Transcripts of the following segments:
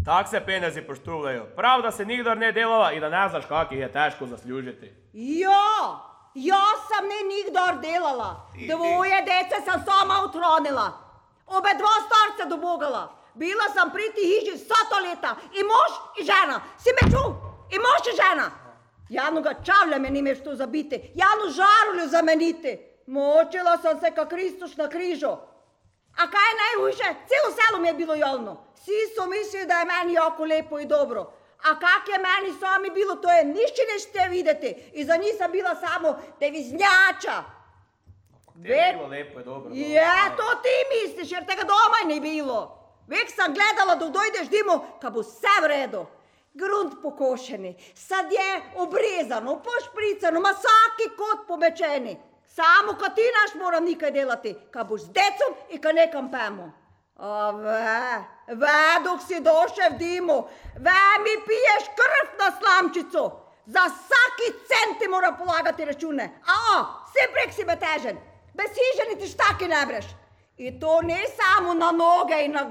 Tak se penezi poštuvljaju. Prav da se nikdar ne delala i da ne znaš kak ih je teško zaslužiti. Ja sam ne nikdar delala. Dvoje dece sam sama utronila. Obe dva starca dobogala. Bila sam pri ti hiži 100 leta. I mož i žena. Si me čuv? I mož i žena. Javnoga čavlja me nimeš tu zabiti. Javnu žarulju zameniti. Močila sam se ka Kristuš na križu. A kaj je najhujše? Celo selo mi je bilo javno. Svi su mislili da je meni jako lepo i dobro. A kak je meni sami bilo, to je ništa nešte videti. I za njih sam bila samo deviznjača. Te je bilo lepo i dobro. To ti misliš, jer tega doma ni bilo. Vek sam gledala da dojdeš dimo, ka bo vse v redu. Grunt pokošeni, sadje obrezano, pošpricano, ma vsaki kot pomečeni. Samo ka ti naš moram nekaj delati, ka boš z decom in ka nekam pemo. A dok si došel v dimu, mi piješ krv na slamčico. Za vsaki cent ti mora polagati račune. Vse prek si betežen. Bez hiže niti štaki ne breš. I to ne samo na noge in na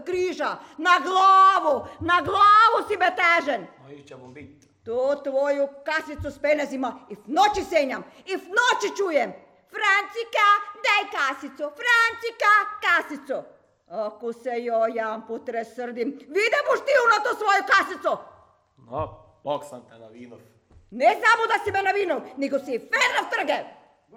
križa, na glavu si betežen. Iće bom biti. To tvoju kasicu s penezima i v noći senjam, i v noći čujem. Francika, daj kasico, Francika, kasico. Ako se jedan potresrdim, vide boš ti na to svoju kasico. Bog sam te navinov. Ne samo da si me navinov, nego si i Fedrov trge.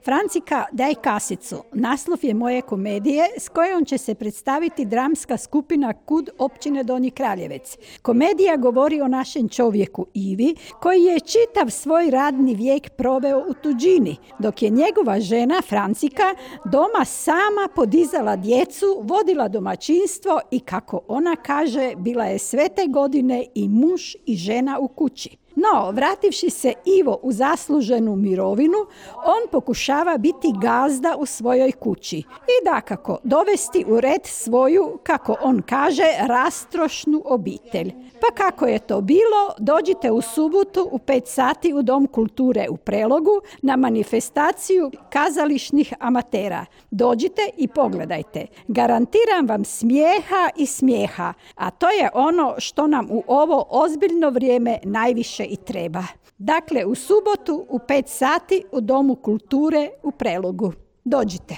Francika, daj kasicu. Naslov je moje komedije s kojom će se predstaviti dramska skupina KUD općine Donji Kraljevec. Komedija govori o našem čovjeku Ivi, koji je čitav svoj radni vijek proveo u tuđini, dok je njegova žena Francika doma sama podizala djecu, vodila domaćinstvo i, kako ona kaže, bila je sve te godine i muž i žena u kući. No, vrativši se Ivo u zasluženu mirovinu, on pokušava biti gazda u svojoj kući i dakako dovesti u red svoju, kako on kaže, rastrošnu obitelj. Pa kako je to bilo, dođite u subotu u 5 sati u Dom kulture u Prelogu na manifestaciju kazališnih amatera. Dođite i pogledajte. Garantiram vam smijeha i smijeha, a to je ono što nam u ovo ozbiljno vrijeme najviše i treba. Dakle, u subotu u 5 sati u Domu kulture u Prelogu. Dođite.